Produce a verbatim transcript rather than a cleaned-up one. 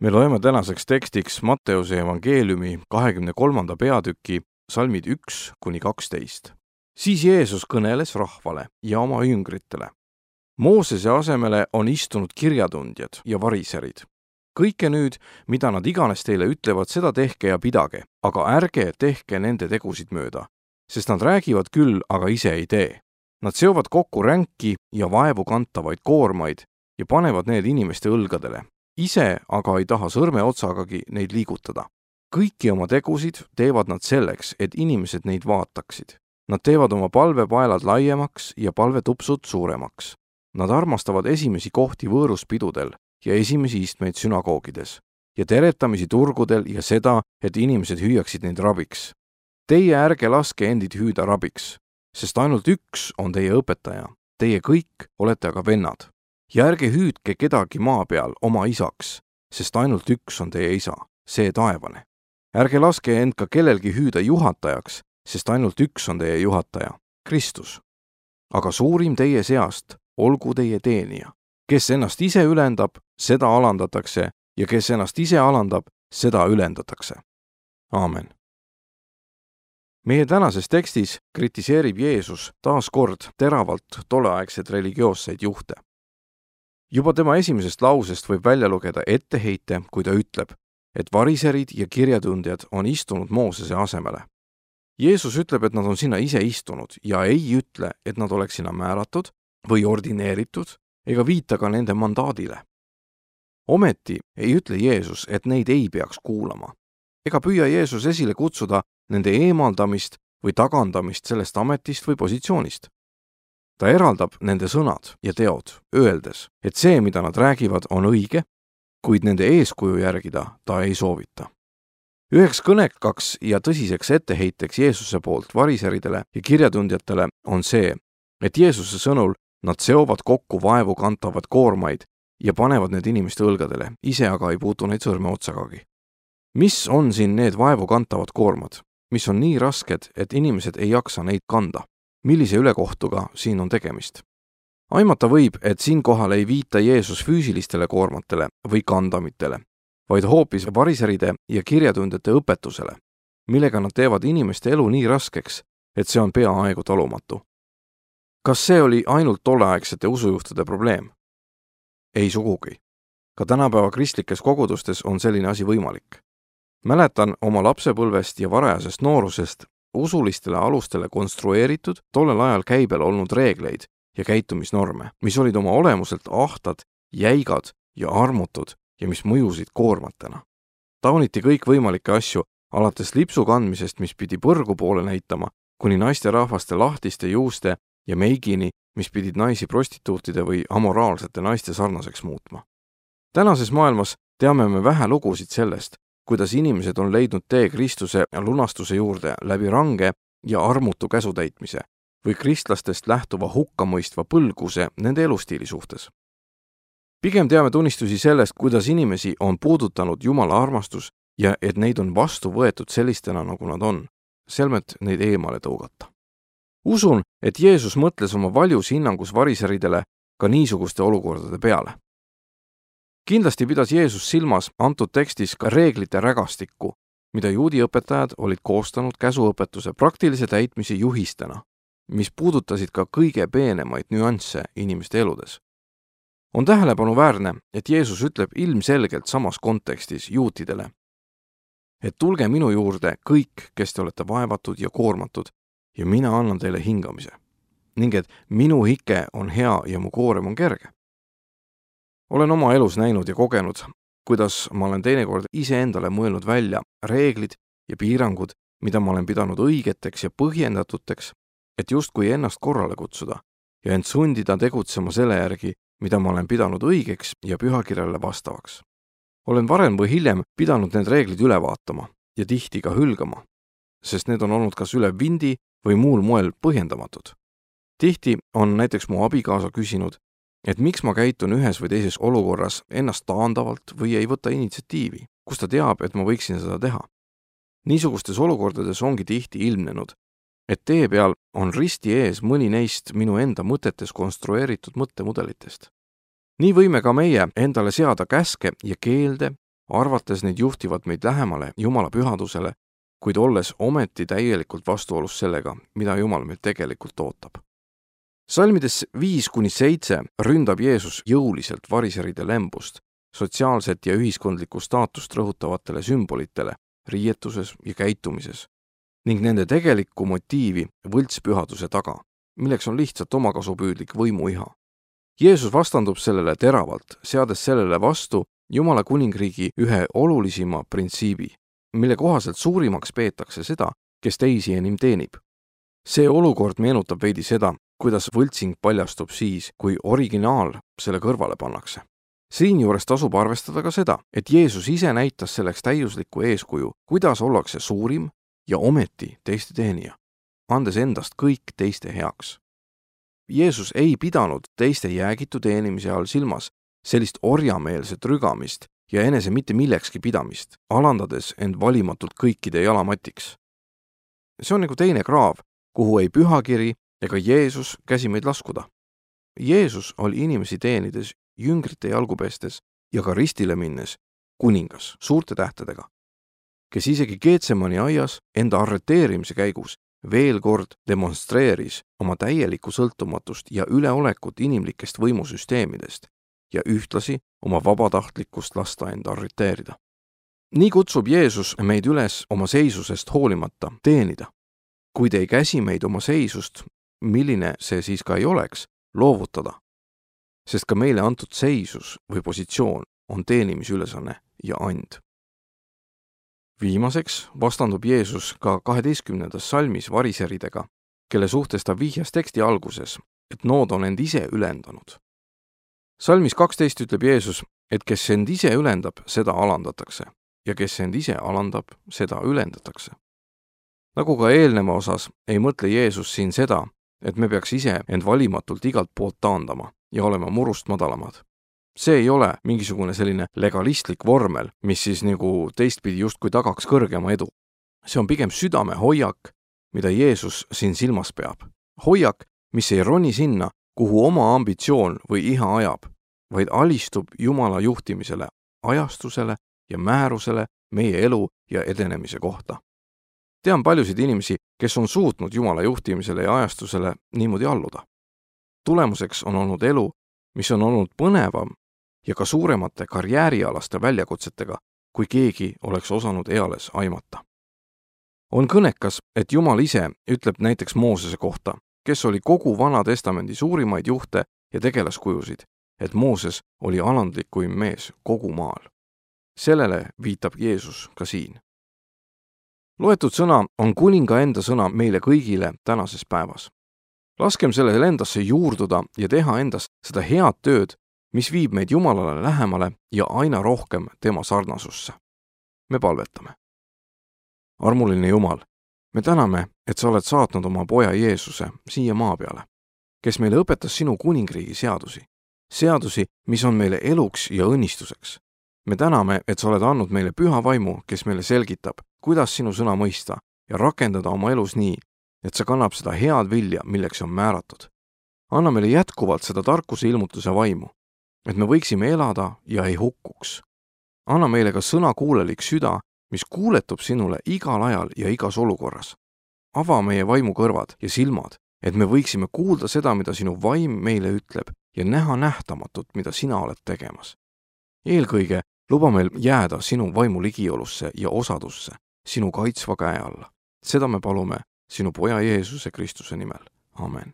Me loeme tänaseks tekstiks Matteuse evangeeliumi kahekümne kolmanda peatüki salmid üks kuni kaksteist. Siis Jeesus kõneles rahvale ja oma jüngritele. Moosese asemele on istunud kirjatundjad ja variserid. Kõike nüüd, mida nad iganes teile ütlevad, seda tehke ja pidage, aga ärge tehke nende tegusid mööda, sest nad räägivad küll, aga ise ei tee. Nad seovad kokku ränki ja vaevu kantavaid koormaid ja panevad need inimeste õlgadele. Ise aga ei taha sõrme otsagagi neid liigutada. Kõiki oma tegusid teevad nad selleks, et inimesed neid vaataksid. Nad teevad oma palvepaelad laiemaks ja palvetupsud suuremaks. Nad armastavad esimesi kohti võõruspidudel ja esimesi istmeid sünagoogides ja teretamisi turgudel ja seda, et inimesed hüüaksid neid rabiks. Teie ärge laske endid hüüda rabiks, sest ainult üks on teie õpetaja. Teie kõik olete aga vennad. Ja ärge hüüdke kedagi maa peal oma isaks, sest ainult üks on teie isa, see taevane. Ärge laske end ka kellelgi hüüda juhatajaks, sest ainult üks on teie juhataja, Kristus. Aga suurim teie seast olgu teie teenija. Kes ennast ise ülendab, seda alandatakse, ja kes ennast ise alandab, seda ülendatakse. Aamen. Meie tänases tekstis kritiseerib Jeesus taas kord teravalt tolleaegseid religioosseid juhte. Juba tema esimesest lausest võib välja lugeda etteheite, kui ta ütleb, et variserid ja kirjatundjad on istunud Moosese asemele. Jeesus ütleb, et nad on sinna ise istunud ja ei ütle, et nad oleks sinna määratud või ordineeritud ega viita ka nende mandaadile. Ometi ei ütle Jeesus, et neid ei peaks kuulama. Ega püüa Jeesus esile kutsuda nende eemaldamist või tagandamist sellest ametist või positsioonist. Ta eraldab nende sõnad ja teod, öeldes, et see, mida nad räägivad, on õige, kuid nende eeskuju järgida ta ei soovita. Üheks kõnekaks ja tõsiseks etteheiteks Jeesuse poolt variseridele ja kirjatundjatele on see, et Jeesuse sõnul nad seovad kokku vaevu kantavad koormaid ja panevad need inimeste õlgadele, ise aga ei puutu neid sõrme otsagagi. Mis on siin need vaevu kantavad koormad, mis on nii rasked, et inimesed ei jaksa neid kanda? Millise ülekohtuga siin on tegemist? Aimata võib, et siinkohal ei viita Jeesus füüsilistele koormatele või kandamitele, vaid hoopis variseride ja kirjatundjate õpetusele, millega nad teevad inimeste elu nii raskeks, et see on peaaegu talumatu. Kas see oli ainult tolleaegsete usujuhtide probleem? Ei sugugi. Ka tänapäeva kristlikes kogudustes on selline asi võimalik. Mäletan oma lapsepõlvest ja varajasest noorusest usulistele alustele konstrueeritud tollel ajal käibel olnud reegleid ja käitumisnorme, mis olid oma olemuselt ahtad, jäigad ja armutud ja mis mõjusid koormatena. Tauniti kõik võimalikke asju, alates lipsu kandmisest, mis pidi põrgu poole näitama, kuni naisterahvaste lahtiste juuste ja meigini, mis pidid naisi prostituutide või amoraalsete naiste sarnaseks muutma. Tänases maailmas teame me vähe lugusid sellest, kuidas inimesed on leidnud tee Kristuse lunastuse juurde läbi range ja armutu käsutäitmise või kristlastest lähtuva hukkamõistva põlguse nende elustiili suhtes. Pigem teame tunnistusi sellest, kuidas inimesi on puudutanud Jumala armastus ja et neid on vastu võetud sellistena, nagu nad on, selmet neid eemale tõugata. Usun, et Jeesus mõtles oma valjus hinnangus variseridele ka niisuguste olukordade peale. Kindlasti pidas Jeesus silmas antud tekstis ka reeglite rägastikku, mida juudi õpetajad olid koostanud käsuõpetuse praktilise täitmise juhistena, mis puudutasid ka kõige peenemaid nüansse inimeste eludes. On tähelepanuväärne, et Jeesus ütleb ilmselgelt samas kontekstis juutidele, et tulge minu juurde kõik, kes te olete vaevatud ja koormatud, ja mina annan teile hingamise, ning et minu hike on hea ja mu koorem on kerge. Olen oma elus näinud ja kogenud, kuidas ma olen teinekord iseendale mõelnud välja reeglid ja piirangud, mida ma olen pidanud õigeteks ja põhjendatuteks, et justkui ennast korrale kutsuda ja end sundida tegutsema selle järgi, mida ma olen pidanud õigeks ja pühakirjale vastavaks. Olen varem või hiljem pidanud need reeglid üle vaatama ja tihti ka hülgama, sest need on olnud kas üle vindi või muul moel põhjendamatud. Tihti on näiteks mu abikaasa küsinud, et miks ma käitun ühes või teises olukorras ennast taandavalt või ei võta initsiatiivi, kus ta teab, et ma võiksin seda teha. Niisugustes olukordades ongi tihti ilmnenud, et tee peal on risti ees mõni neist minu enda mõtetes konstrueeritud mõttemudelitest. Nii võime ka meie endale seada käske ja keelde arvates neid juhtivad meid lähemale Jumala pühadusele, kuid olles ometi täielikult vastuolus sellega, mida Jumal meilt tegelikult ootab. Salmides viis kuni seitse ründab Jeesus jõuliselt variseride lembust, sotsiaalset ja ühiskondlikku staatust rõhutavatele sümbolitele riietuses ja käitumises ning nende tegelikku motiivi võltspühaduse taga, milleks on lihtsalt omakasupüüdlik võimuiha. Jeesus vastandub sellele teravalt, seades sellele vastu Jumala kuningriigi ühe olulisima printsiibi, mille kohaselt suurimaks peetakse seda, kes teisi enim teenib. See olukord meenutab veidi seda, kuidas võltsing paljastub siis, kui originaal selle kõrvale pannakse. Siinjuures tasub arvestada ka seda, et Jeesus ise näitas selleks täiuslikku eeskuju, kuidas ollakse suurim ja ometi teiste teenija, andes endast kõik teiste heaks. Jeesus ei pidanud teiste jäägitu teenimise all silmas sellist orjameelset rügamist ja enese mitte millekski pidamist, alandades end valimatult kõikide jalamatiks. See on nagu teine kraav, kuhu ei pühakiri ega Jeesus käsi meid laskuda. Jeesus oli inimesi teenides, jüngrite jalgu pestes ja ka ristile minnes kuningas suurte tähtedega, kes isegi Getsemani aias enda arreteerimise käigus veel kord demonstreeris oma täielikku sõltumatust ja üleolekut inimlikest võimusüsteemidest ja ühtlasi oma vabatahtlikkust lasta enda arreteerida. Nii kutsub Jeesus meid üles oma seisusest hoolimata teenida, kuid ei käsi meid oma seisust, milline see siis ka ei oleks, loovutada, sest ka meile antud seisus või positsioon on teenimisülesanne ja and. Viimaseks vastandub Jeesus ka kaheteistkümnendas salmis variseridega, kelle suhtes ta vihjas teksti alguses, et nood on end ise ülendanud. Salmis kaksteist ütleb Jeesus, et kes end ise ülendab, seda alandatakse, ja kes end ise alandab, seda ülendatakse. Nagu ka eelneva osas, ei mõtle Jeesus siin seda, et me peaks ise end valimatult igalt poolt taandama ja olema murust madalamad. See ei ole mingisugune selline legalistlik vormel, mis siis nagu teistpidi justkui tagaks kõrgema edu. See on pigem südame hoiak, mida Jeesus siin silmas peab. Hoiak, mis ei roni sinna, kuhu oma ambitsioon või iha ajab, vaid alistub Jumala juhtimisele, ajastusele ja määrusele meie elu ja edenemise kohta. Tean paljusid inimesi, kes on suutnud Jumala juhtimisele ja ajastusele niimoodi alluda. Tulemuseks on olnud elu, mis on olnud põnevam ja ka suuremate karjäärialaste väljakutsetega, kui keegi oleks osanud eales aimata. On kõnekas, et Jumal ise ütleb näiteks Moosese kohta, kes oli kogu Vana Testamendi suurimaid juhte ja tegelaskujusid, et Mooses oli alandlikuim mees kogu maal. Sellele viitab Jeesus ka siin. Loetud sõna on kuninga enda sõna meile kõigile tänases päevas. Laskem sellele endasse juurduda ja teha endas seda head tööd, mis viib meid Jumalale lähemale ja aina rohkem tema sarnasusse. Me palvetame. Armuline Jumal, me täname, et sa oled saatnud oma poja Jeesuse siia maa peale, kes meile õpetas sinu kuningriigi seadusi, seadusi, mis on meile eluks ja õnnistuseks. Me täname, et sa oled andnud meile püha vaimu, kes meile selgitab, kuidas sinu sõna mõista ja rakendada oma elus nii, et sa kannab seda head vilja, milleks on määratud. Anna meile jätkuvalt seda tarkuse ilmutuse vaimu, et me võiksime elada ja ei hukkuks. Anna meile ka sõna kuulelik süda, mis kuuletub sinule igal ajal ja igas olukorras. Ava meie vaimu kõrvad ja silmad, et me võiksime kuulda seda, mida sinu vaim meile ütleb ja näha nähtamatut, mida sina oled tegemas. Eelkõige luba meil jääda sinu vaimu ligiolusse ja osadusse, sinu kaitsva käe alla. Seda me palume sinu poja Jeesuse Kristuse nimel. Amen.